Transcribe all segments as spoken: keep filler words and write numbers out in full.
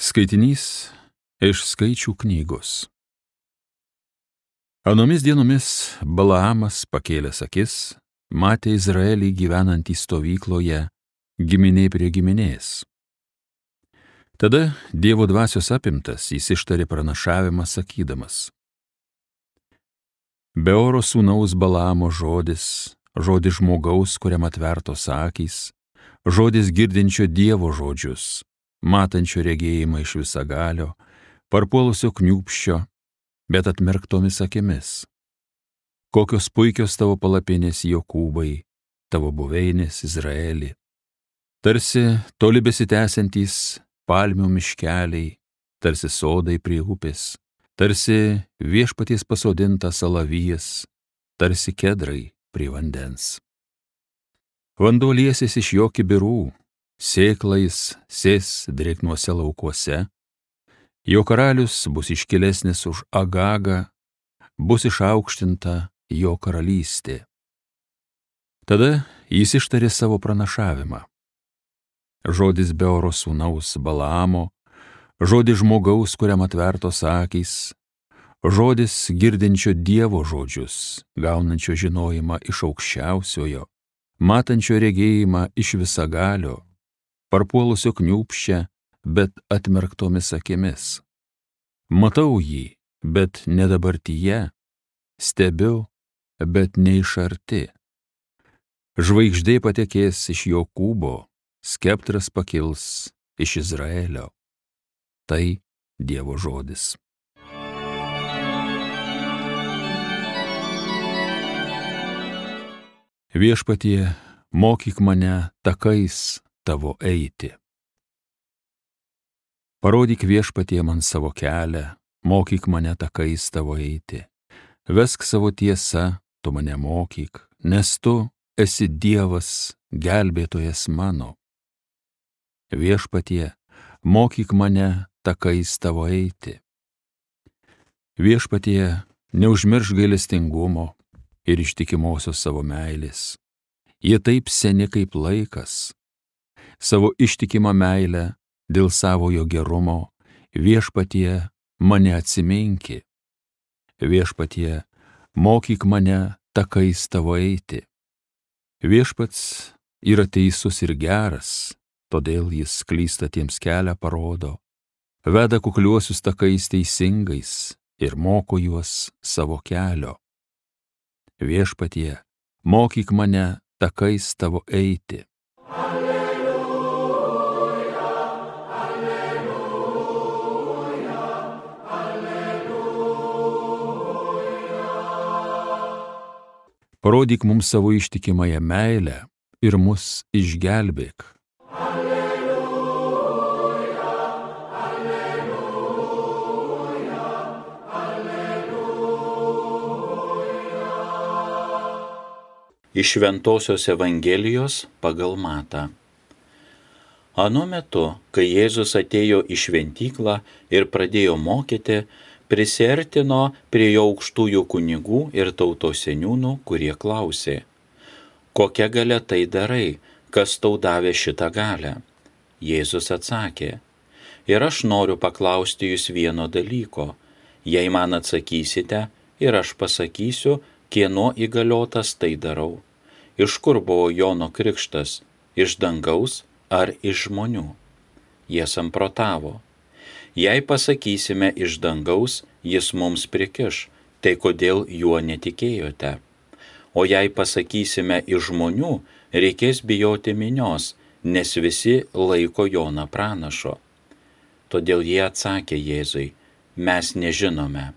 Skaitinys iš Skaičių knygos. Anomis dienomis Balaamas pakėlęs akis, matė Izraelį gyvenantį stovykloje, giminė prie giminės. Tada Dievo dvasios apimtas jis ištarė pranašavimą sakydamas: Beoro sūnaus Balaamo žodis, žodis žmogaus, kuriam atvertos akys, žodis girdinčio Dievo žodžius, matančio regėjimą iš visagalio, parpuolusio kniūpsčio, bet atmerktomis akimis. Kokios puikios tavo palapinės, Jokūbai, tavo buveinės, Izraeli. Tarsi toli besitęsiantys palmių miškeliai, tarsi sodai prie upės, tarsi viešpaties pasodintas alavijas, tarsi kedrai prie vandens. Vanduo liesis iš jo kibirų, sėklais sės drėgnuose laukuose, jo karalius bus iškilesnis už Agagą, bus išaukštinta jo karalystė. Tada jis ištarė savo pranašavimą. Žodis Beoro sūnaus Balaamo, žodis žmogaus, kuriam atvertos akys, žodis girdinčio Dievo žodžius, gaunančio žinojimą iš aukščiausiojo, matančio regėjimą iš visagalio, parpuolusio kniūpsčia, bet atmerktomis akimis. Matau jį, bet ne dabartyje, stebiu, bet ne iš arti. Žvaigždė patekės iš Jokūbo, skeptras pakils iš Izraelio. Tai Dievo žodis. Viešpatie, mokyk mane takais tavo eiti. Parodyk, Viešpatie, man savo kelią, mokyk mane takais tavo eiti. Vesk savo tiesą, tu mane mokyk, nes tu esi Dievas, gelbėtojas mano. Viešpatie, mokyk mane takais tavo eiti. Viešpatie, neužmiršk gailestingumo ir ištikimosios savo meilės. Jie taip seni kaip laikas. Savo ištikimą meilę dėl savojo gerumo, Viešpatie, mane atsiminki. Viešpatie, mokyk mane takais tavo eiti. Viešpats yra teisus ir geras, todėl jis klysta tiems kelią parodo, veda kukliuosius takais teisingais ir moko juos savo kelio. Viešpatie, mokyk mane takais tavo eiti. Alleluja, alleluja, alleluja. Parodyk mums savo ištikimąją meilę ir mus išgelbėk. Alleluja, alleluja, alleluja. Iš Šventosios Evangelijos pagal Matą. Anu metu, kai Jėzus atėjo į šventyklą ir pradėjo mokyti, prisiartino prie jo aukštųjų kunigų ir tautos seniūnų, kurie klausė: Kokia galia tai darai, kas tau davė šitą galią? Jėzus atsakė: Ir aš noriu paklausti jūs vieno dalyko. Jei man atsakysite, ir aš pasakysiu, kieno įgaliotas tai darau. Iš kur buvo Jono krikštas, iš dangaus ar iš žmonių? Jie samprotavo: Jei pasakysime iš dangaus, jis mums prikiš, tai kodėl juo netikėjote? O jei pasakysime iš žmonių, reikės bijoti minios, nes visi laiko Joną pranašo. Todėl jie atsakė Jėzui: Mes nežinome.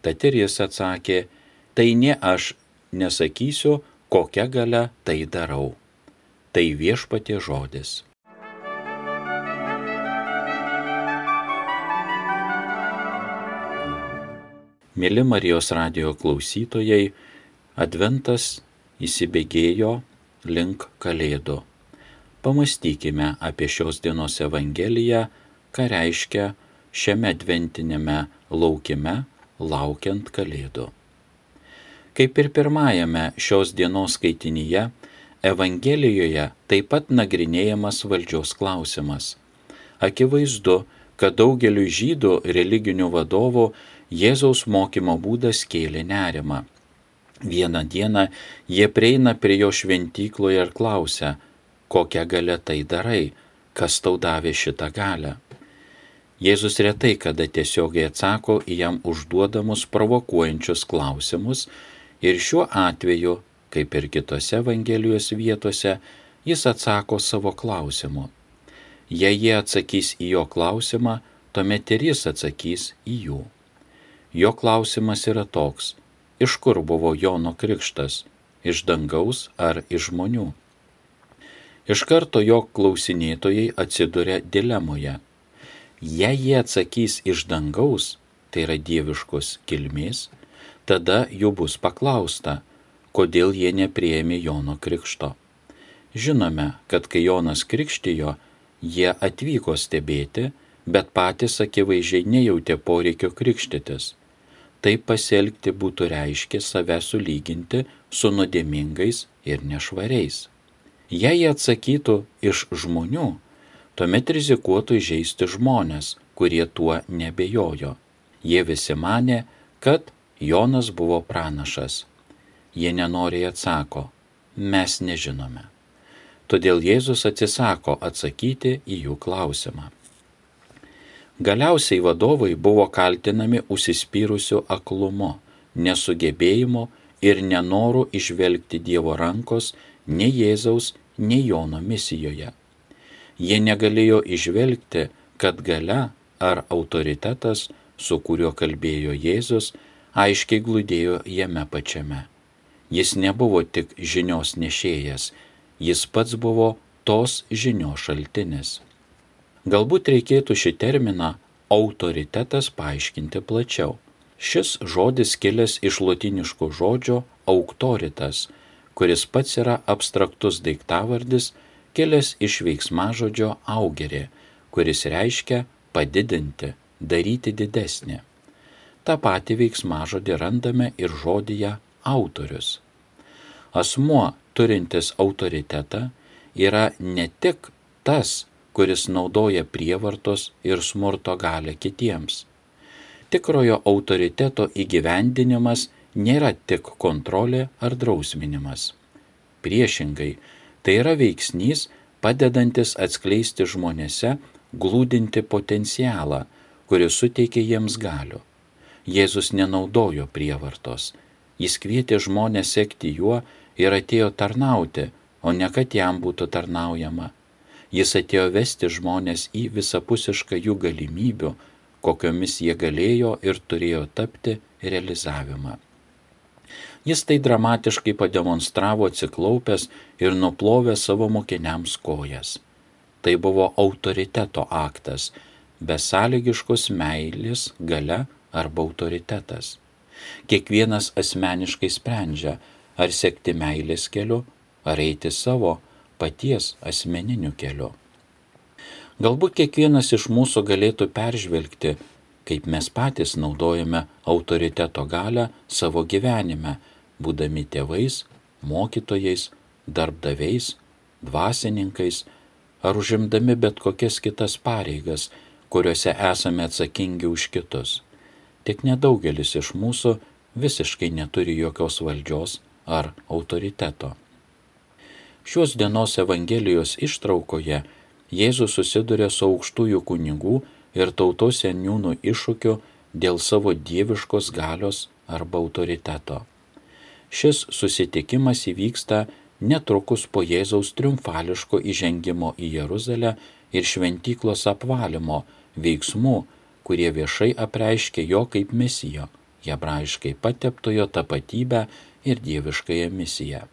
Tad ir jis atsakė: Tai ne aš nesakysiu, kokia galia tai darau. Tai Viešpaties žodis. Mėly Marijos radijo klausytojai, Adventas įsibėgėjo link Kalėdų. Pamąstykime apie šios dienos Evangeliją, ką reiškia šiame adventinėme laukime, laukiant Kalėdų. Kaip ir pirmajame šios dienos skaitinyje, Evangelijoje taip pat nagrinėjamas valdžios klausimas. Akivaizdu, kad daugeliu žydų religinių vadovų Jėzaus mokymo būdas kėlė nerimą. Vieną dieną jie prieina prie jo šventykloje ir klausia, kokią galę tai darai, kas tau davė šitą galę. Jėzus retai kada tiesiogiai atsako į jam užduodamus provokuojančius klausimus ir šiuo atveju, kaip ir kitose Evangelijos vietose, jis atsako savo klausimu. Jei jie atsakys į jo klausimą, tuomet ir jis atsakys į jų. Jo klausimas yra toks, iš kur buvo Jono krikštas, iš dangaus ar iš žmonių? Iš karto jo klausinėtojai atsiduria dilemoje. Jei jie atsakys iš dangaus, tai yra dieviškos kilmės, tada jų bus paklausta, kodėl jie nepriėmė Jono krikšto. Žinome, kad kai Jonas krikštijo, jie atvyko stebėti, bet patys akivaizdžiai nejautė poreikio krikštytis. Taip pasielgti būtų reiškę save sulyginti su nuodėmingais ir nešvariais. Jei jie atsakytų iš žmonių, tuomet rizikuotų įžeisti žmonės, kurie tuo nebejojo. Jie visi manė, kad Jonas buvo pranašas. Jie nenoriai atsako, mes nežinome. Todėl Jėzus atsisako atsakyti į jų klausimą. Galiausiai vadovai buvo kaltinami užsispyrusiu aklumu, nesugebėjimu ir nenoru išvelgti Dievo rankos nei Jėzaus, nei Jono misijoje. Jie negalėjo išvelgti, kad galia ar autoritetas, su kuriuo kalbėjo Jėzus, aiškiai glūdėjo jame pačiame. Jis nebuvo tik žinios nešėjas, jis pats buvo tos žinios šaltinis. Galbūt reikėtų šį terminą autoritetas paaiškinti plačiau. Šis žodis kilęs iš lotyniško žodžio auctoritas, kuris pats yra abstraktus daiktavardis, kilęs iš veiksmažodžio augerė, kuris reiškia padidinti, daryti didesnį. Ta pati veiksmažodį randame ir žodyje autorius. Asmuo, turintis autoritetą, yra ne tik tas, kuris naudoja prievartos ir smurto galią kitiems. Tikrojo autoriteto įgyvendinimas nėra tik kontrolė ar drausminimas. Priešingai, tai yra veiksnys, padedantis atskleisti žmonėse glūdinti potencialą, kuris suteikia jiems galių. Jėzus nenaudojo prievartos. Jis kvietė žmonės sekti juo ir atėjo tarnauti, o ne kad jam būtų tarnaujama. Jis atėjo vesti žmonės į visapusišką jų galimybių, kokiomis jie galėjo ir turėjo tapti realizavimą. Jis tai dramatiškai pademonstravo atsiklaupęs ir nuplovęs savo mokiniams kojas. Tai buvo autoriteto aktas, besąlygiškos meilės galia arba autoritetas. Kiekvienas asmeniškai sprendžia, ar sekti meilės keliu, ar eiti savo paties asmeniniu keliu. Galbūt kiekvienas iš mūsų galėtų peržvelgti, kaip mes patys naudojame autoriteto galią savo gyvenime, būdami tėvais, mokytojais, darbdaviais, dvasininkais, ar užimdami bet kokias kitas pareigas, kuriuose esame atsakingi už kitus. Tik nedaugelis iš mūsų visiškai neturi jokios valdžios ar autoriteto. Šios dienos Evangelijos ištraukoje Jėzus susiduria su aukštųjų kunigų ir tautos seniūnų iššūkiu dėl savo dieviškos galios arba autoriteto. Šis susitikimas įvyksta netrukus po Jėzaus triumfališko įžengimo į Jeruzalę ir šventyklos apvalymo veiksmų, kurie viešai apreiškė jo kaip mesijo, hebrajiškai pateptojo tapatybę ir dieviškąją misiją.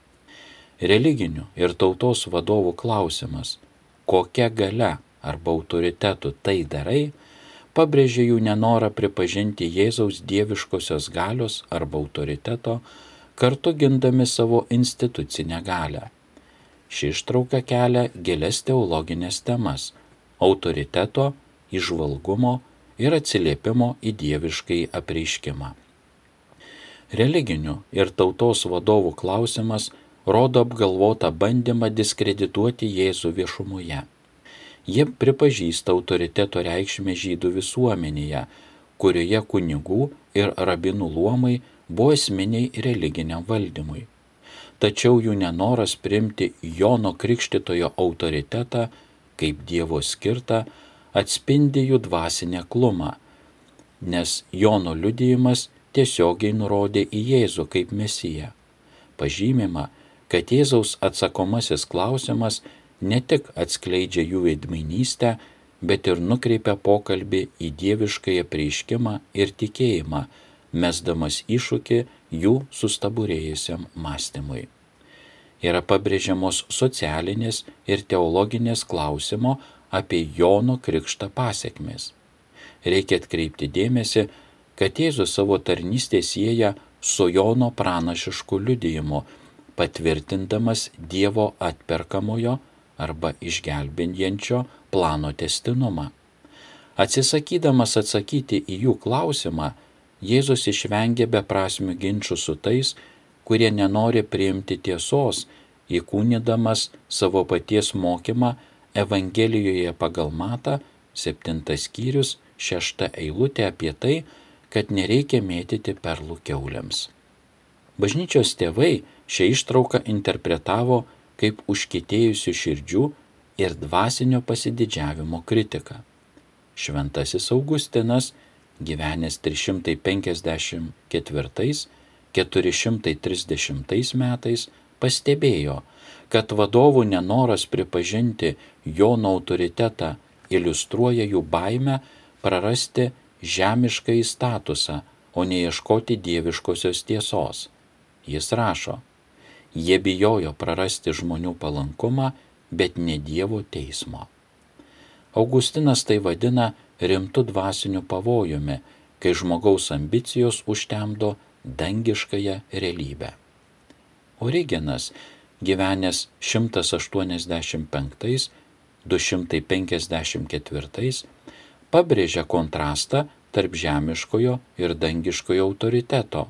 Religinių ir tautos vadovų klausimas, kokia galia arba autoritetu tai darai, pabrėžė jų nenorą pripažinti Jėzaus dieviškosios galios arba autoriteto, kartu gindami savo institucinę galią. Ši ištrauka kelia gilias teologinės temas – autoriteto, įžvalgumo ir atsiliepimo į dieviškai apreiškimą. Religinių ir tautos vadovų klausimas rodo apgalvotą bandymą diskredituoti Jėzų viešumoje. Jie pripažįsta autoriteto reikšmę žydų visuomenėje, kurioje kunigų ir rabinų luomai buvo esminiai religiniam valdymui. Tačiau jų nenoras priimti Jono Krikštytojo autoritetą kaip Dievo skirtą atspindi jų dvasinę aklumą, nes Jono liudijimas tiesiogiai nurodė į Jėzų kaip Mesiją. Pažymima, kad Jėzaus atsakomasis klausimas ne tik atskleidžia jų veidmainystę, bet ir nukreipia pokalbį į dieviškąją apreiškimą ir tikėjimą, mesdamas iššūkį jų sustabarėjusiam mąstymui. Yra pabrėžiamos socialinės ir teologinės klausimo apie Jono krikštą pasekmės. Reikia atkreipti dėmesį, kad Jėzus savo tarnystę sieja su Jono pranašišku liudijimu, patvirtindamas Dievo atperkamojo arba išgelbinjančio plano tęstinumą. Atsisakydamas atsakyti į jų klausimą, Jėzus išvengia beprasmių ginčių su tais, kurie nenori priimti tiesos, įkūnydamas savo paties mokymą Evangelijoje pagal Matą, septintas skyrius, šešta eilutė apie tai, kad nereikia mėtyti perlų kiauliams. Bažnyčios tėvai šią ištrauką interpretavo kaip užkietėjusių širdžių ir dvasinio pasididžiavimo kritiką. Šventasis Augustinas, gyvenęs trys šimtai penkiasdešimt ketvirtais - keturi šimtai trisdešimtais metais, pastebėjo, kad vadovų nenoras pripažinti Jono autoritetą iliustruoja jų baimę prarasti žemiškąjį statusą, o neieškoti dieviškosios tiesos. Jis rašo: jie bijojo prarasti žmonių palankumą, bet ne Dievo teismo. Augustinas tai vadina rimtu dvasiniu pavojumi, kai žmogaus ambicijos užtemdo dangiškąją realybę. Origenas, gyvenęs šimtas aštuoniasdešimt penktais - du šimtai penkiasdešimt ketvirtais, pabrėžia kontrastą tarp žemiškojo ir dangiškojo autoriteto.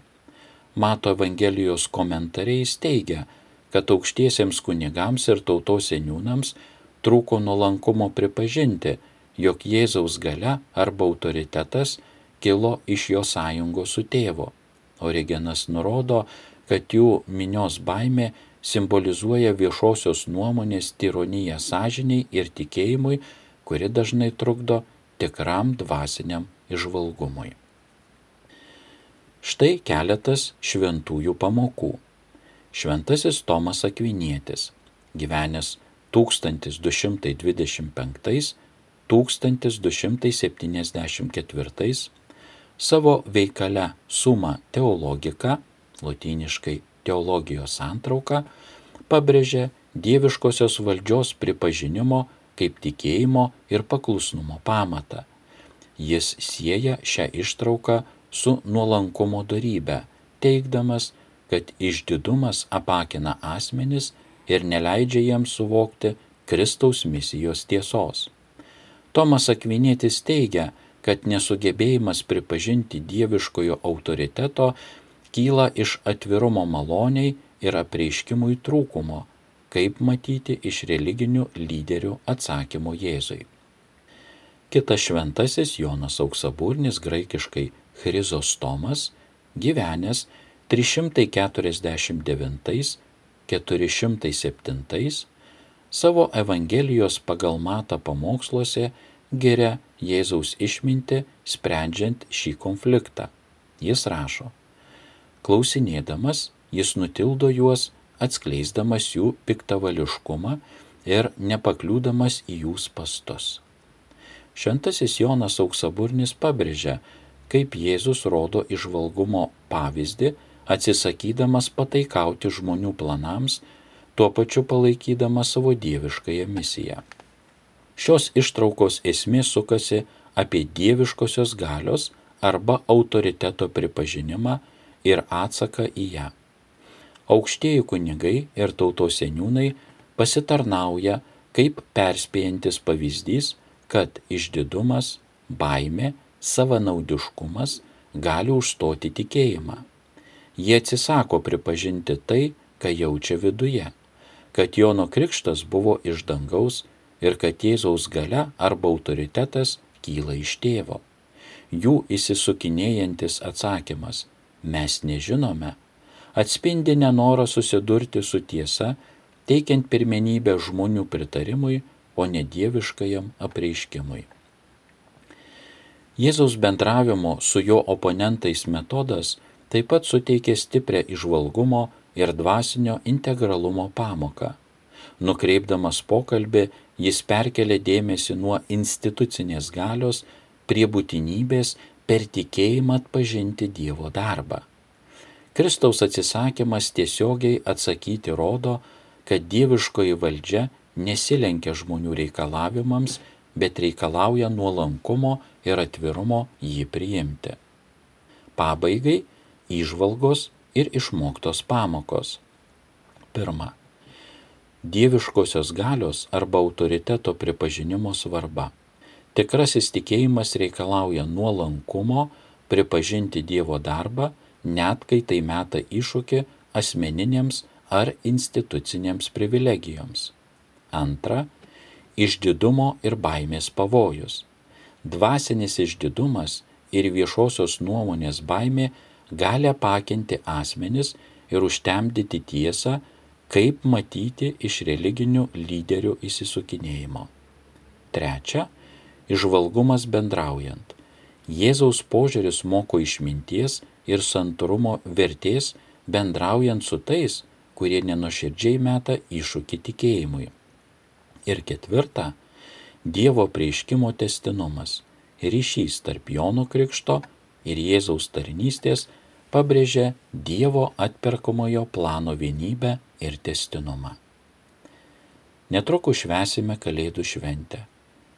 Mato Evangelijos komentariais teigia, kad aukštiesiems kunigams ir tautos seniūnams trūko nuolankumo pripažinti, jog Jėzaus galia arba autoritetas kilo iš jo sąjungos su tėvu. Origenas nurodo, kad jų minios baimė simbolizuoja viešosios nuomonės tironiją sąžiniai ir tikėjimui, kuri dažnai trukdo tikram dvasiniam įžvalgumui. Štai keletas šventųjų pamokų. Šventasis Tomas Akvinietis, gyvenęs tūkstantis du šimtai dvidešimt penktais - tūkstantis du šimtai septyniasdešimt ketvirtais, savo veikale Summa Theologica, lotyniškai teologijos santrauka, pabrėžia dieviškosios valdžios pripažinimo kaip tikėjimo ir paklusnumo pamatą. Jis sieja šią ištrauką su nuolankumo dorybe, teigdamas, kad išdidumas apakina asmenis ir neleidžia jiems suvokti Kristaus misijos tiesos. Tomas Akvinietis teigia, kad nesugebėjimas pripažinti dieviškojo autoriteto kyla iš atvirumo maloniai ir apreiškimui trūkumo, kaip matyti iš religinių lyderių atsakymo Jėzui. Kitas šventasis Jonas Auksaburnis, graikiškai Chrizostomas, gyvenęs trys šimtai keturiasdešimt devintais - keturi šimtai septintais, savo Evangelijos pagal Matą pamoksluose giria Jėzaus išmintį sprendžiant šį konfliktą. Jis rašo: klausinėdamas, jis nutildo juos, atskleisdamas jų piktavališkumą ir nepakliūdamas į jų spastus. Šventasis Jonas Auksaburnis pabrėžia, kaip Jėzus rodo įžvalgumo pavyzdį, atsisakydamas pataikauti žmonių planams, tuo pačiu palaikydamas savo dieviškąją misiją. Šios ištraukos esmė sukasi apie dieviškosios galios arba autoriteto pripažinimą ir atsaką į ją. Aukštieji kunigai ir tautos seniūnai pasitarnauja kaip perspėjantis pavyzdys, kad išdidumas, baimė, savanaudiškumas gali užstoti tikėjimą. Jie atsisako pripažinti tai, ką jaučia viduje, kad Jono krikštas buvo iš dangaus ir kad Jėzaus galia arba autoritetas kyla iš tėvo. Jų įsisukinėjantis atsakymas "mes nežinome" atspindi nenorą susidurti su tiesa, teikiant pirmenybę žmonių pritarimui, o ne dieviškajam apreiškimui. Jėzaus bendravimo su jo oponentais metodas taip pat suteikė stiprią įžvalgumo ir dvasinio integralumo pamoką. Nukreipdamas pokalbį, jis perkelė dėmesį nuo institucinės galios prie būtinybės per tikėjimą atpažinti Dievo darbą. Kristaus atsisakymas tiesiogiai atsakyti rodo, kad dieviškoji valdžia nesilenkia žmonių reikalavimams, bet reikalauja nuolankumo ir atvirumo jį priimti. Pabaigai įžvalgos ir išmoktos pamokos. Pirma. Dieviškosios galios arba autoriteto pripažinimo svarba. Tikrasis tikėjimas reikalauja nuolankumo pripažinti Dievo darbą, net kai tai meta iššūkį asmeninėms ar institucinėms privilegijoms. Antra. Išdidumo ir baimės pavojus. Dvasinis išdidumas ir viešosios nuomonės baimė gali apakinti asmenis ir užtemdyti tiesą, kaip matyti iš religinių lyderių įsisukinėjimo. Trečia. Įžvalgumas bendraujant. Jėzaus požiūris moko išminties ir santūrumo vertės bendraujant su tais, kurie nenuoširdžiai meta iššūkį tikėjimui. Ir ketvirta. Dievo apreiškimo tęstinumas. Ryšys tarp Jono Krikšto ir Jėzaus tarnystės pabrėžia Dievo atperkamojo plano vienybę ir tęstinumą. Netrukus švęsime Kalėdų šventę.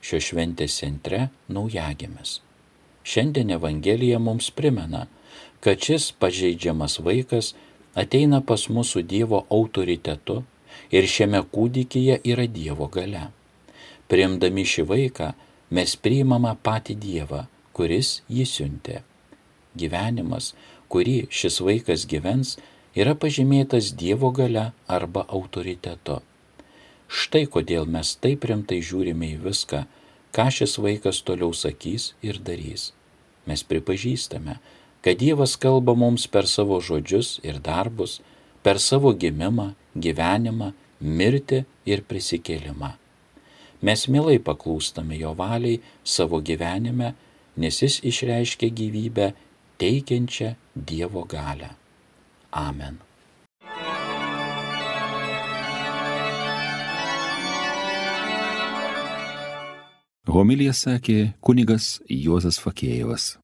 Šios šventės centre naujagimis. Šiandien Evangelija mums primena, kad šis pažeidžiamas vaikas ateina pas mus su Dievo autoritetu ir šiame kūdikyje yra Dievo galia. Priimdami šį vaiką mes priimame patį Dievą, kuris jį siuntė. Gyvenimas, kurį šis vaikas gyvens, yra pažymėtas Dievo galia arba autoritetu. Štai kodėl mes taip rimtai žiūrime į viską, ką šis vaikas toliau sakys ir darys. Mes pripažįstame, kad Dievas kalba mums per savo žodžius ir darbus, per savo gimimą, gyvenimą, mirtį ir prisikėlimą. Mes mielai paklūstame jo valiai savo gyvenime, nes jis išreiškia gyvybę, teikiančią Dievo galią. Amen. Homiliją sakė kunigas Juozas Fakėjevas.